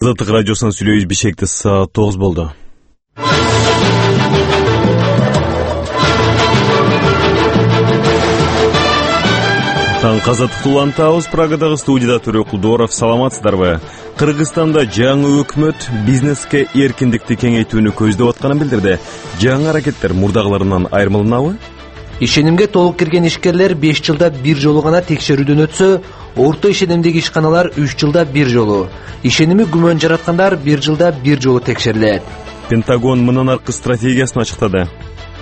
Азаттык радиосунан сүйлөйбүз. Бишкекте саат 9 болду. Таң Азаттыкты улантабыз. Прагадагы студияда Төрө Кулдоров. Саламатсыздарбы? Кыргызстанда жаңы өкмөт бизнеске эркиндикти кеңейтүүнү көздөп атканын билдирди. Жаңы аракеттер мурдагыларынан айырмаланабы? Ишенимге толук кирген ишкерлер 5 жылда бир жолу гана текшерүүдөн өтсө, орто ишенимдеги ишканалар 3 жылда бир жолу, ишеними күмөн жараткандар 1 жылда бир жолу текшерилет. Пентагон мындан аркы стратегиясын ачыктады.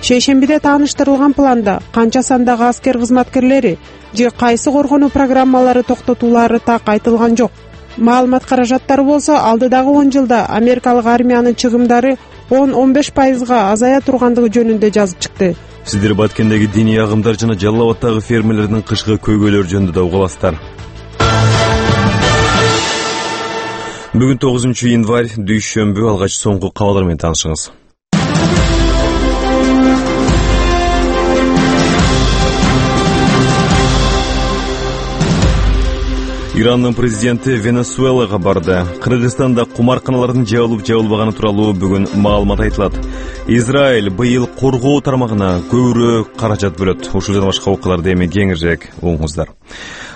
Шейшембиде тааныштырылган планда канча сандагы аскер кызматкерлери же кайсы коргонуу программалары токтотулары так айтылган жок. Маалымат каражаттары болсо алдыдагы 10 жылда америкалык армиянын чыгымдары 10-15% азая тургандыгы жөнүндө жазып чыкты. Сиздер Баткендеги диний агымдар жана Жалал Абадтагы фермерлердин кышкы көйгөйлөр жөнүндө да угаласыздар. Бүгүн 9 январь, дүйшөмбү. Алгач соңку кабарлар менен таанышыңыз. Ирандын президенти Венесуэлага барды. Кыргызстанда кумарканалардын жабылып-жабылбаганы тууралуу бүгүн маалымат айтылат. Израиль быйыл коргоо тармагына көбүрөөк каражат бөлөт. Ушул жана башка окуяларды эми кеңирээк угуңуздар.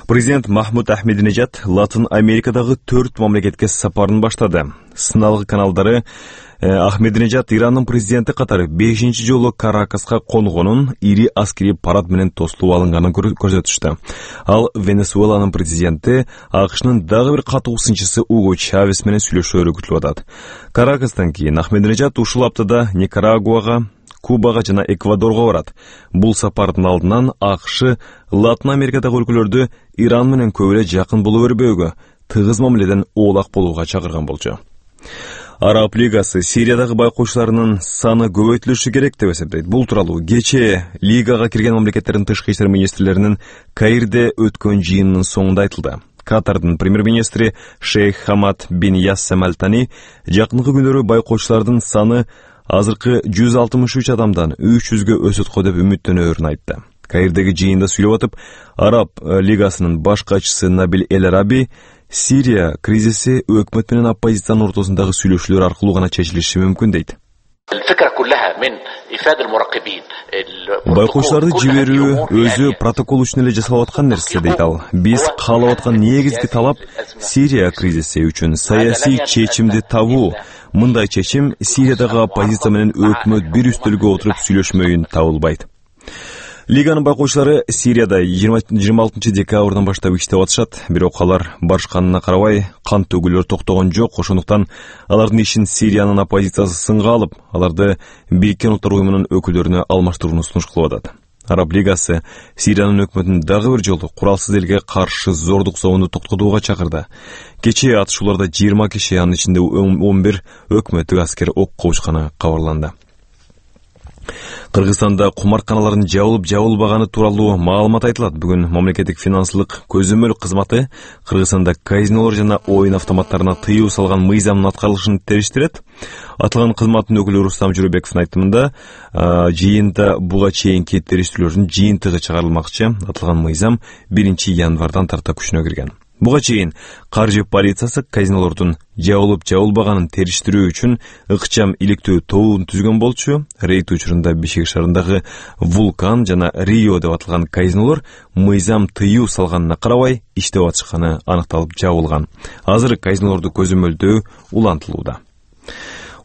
Президент Махмуд Ахмединежад Латын Америкадагы 4 мамлекетке сапарын баштады. Сыналгы каналдары Ахмединежад Ирандын президенти катары 5-чи жолу Каракаска конгонун, ири аскери парад менен тостулуп алынганын көрсөтүштү. Ал Венесуэланын президенти АКШнын дагы бир катуу сынчысы Уго Чавес менен сүйлөшөөрү күтүлүп атат. Каракастан кийин Ахмединежад ушул аптада Никарагуага, Кубага жана Эквадорго барат. Бул сапардын алдынан АКШ Латын Америкадагы өлкөлөрдү Иран менен көп эле жакын боло бербөөгө, тыгыз мамиледен оолак болууга чакырган болчу. Араб лигасы Сириядагы байкоочуларынын саны көбөйтүлүшү керек деп эсептейт. Бул тууралуу кечээ лигага кирген мамлекеттердин тышкы иштер министрлеринин Каирде өткөн жыйынынын соңунда айтылды. Катардын премьер-министри Шейх Хамад бин Яссем Аль-Тани жакынкы күндөр байкоочулардын саны азыркы 163 адамдан 300гө өсөт го деп үмүттөнөөрүн айтты. Каирдеги жыйында сүйлөп атып, Араб лигасынын баш катчысы Набил Эль-Араби Сирия кризиси өкмөт менен оппозициянын ортосундагы сүйлөшүүлөр аркылуу гана чечилиши мүмкүн дейт. Байкоочуларды жиберүү өзү протокол үчүн эле жасалып аткан нерсе дейт ал. Биз каалап аткан негизги талап Сирия кризиси үчүн саясий чечимди табуу. Мындай чечим Сириядагы оппозиция менен өкмөт бир үстөлгө отуруп сүйлөшмөйүн табылбайт. Лиганын байкоочулары Сирияда 26 декабрдан баштап иштеп атышат, бирок алар барышканына карабай кан төгүүлөр токтогон жок. Ошондуктан алардын ишин Сириянын оппозициясы сынга алып, аларды Бириккен Улуттар уюмунун өкүлдөрүнө алмаштырууну сунуш кылып атат. Араб лигасы Сириянын өкмөтүн дагы бир жолу куралсыз элге каршы зордук соонду токтотууга чакырды. Кечээ атышууларда 20 киши, анын ичинде 11 өкмөттүк аскер окко учканы кабарланды. Кыргызстанда кумарканалардын жабылып-жабылбаганы тууралуу маалымат айтылат. Бүгүн мамлекеттик финансылык көзөмөл кызматы Кыргызстанда казинолор жана оюн автоматтарына тыюу салган мыйзамдын аткарылышын териштирет. Аталган кызматтын өкүлү Рустам Жүрөбековдун айтымында, жыйында буга чейинки териштирүүлөрдүн жыйынтыгы чыгарылмакчы. Аталган мыйзам 1 январдан тарта күчүнө кирген. Буга чейин каржы полициясы казинолордун жабылып-жабылбаганын териштирүү үчүн ыкчам иликтөө тобун түзгөн болчу. Рейд учурунда Бишкек шаарындагы Вулкан жана Рио деп аталган казинолор мыйзам тыюу салганына карабай иштеп атышканы аныкталып жабылган. Азыр казинолорду көзөмөлдөө улантылууда.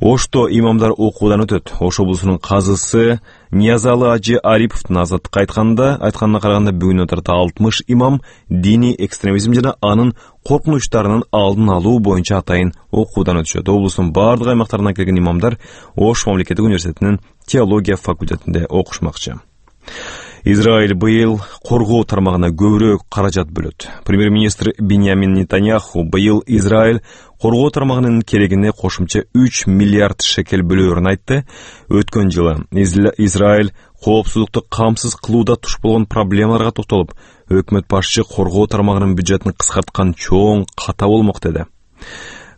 Ошто имамдар окуудан өтөт. Ош облусунун казысы Ниязалы Ажы Ариповдун Азаттыкка айтканына караганда бүгүнкү тарта 60 имам диний экстремизм жана анын коркунучтарынын алдын алуу боюнча атайын окуудан өтүшөт. Облустун бардык аймактарынан келген имамдар Ош мамлекеттик университетинин теология факультетинде окушмакчы. Израиль быйыл коргоо тармагына көбүрөөк каражат бөлөт. Премьер-министр Биньямин Нетаньяху быйыл Израиль коргоо тармагынын керегине кошумча 3 миллиард шекел бөлөөрүн айтты. Өткөн жылы Израиль коопсуздукту камсыз кылууда туш болгон проблемаларга токтолуп, өкмөт башчы коргоо тармагынын бюджетин кыскарткан чоң ката болмок деди.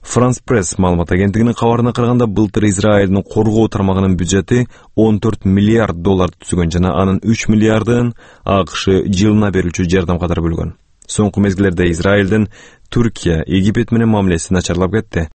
France Press маалымат агенттигинин кабарына караганда, былтыр Израилдин коргоо тармагынын бюджети 14 миллиард доллар түзгөн жана анын 3 миллиардын АКШ жылына берүүчү жардам катары бөлгөн. Соңку мезгилдерде Израилдин Түркия, Египет менен мамилеси начарлап кетти.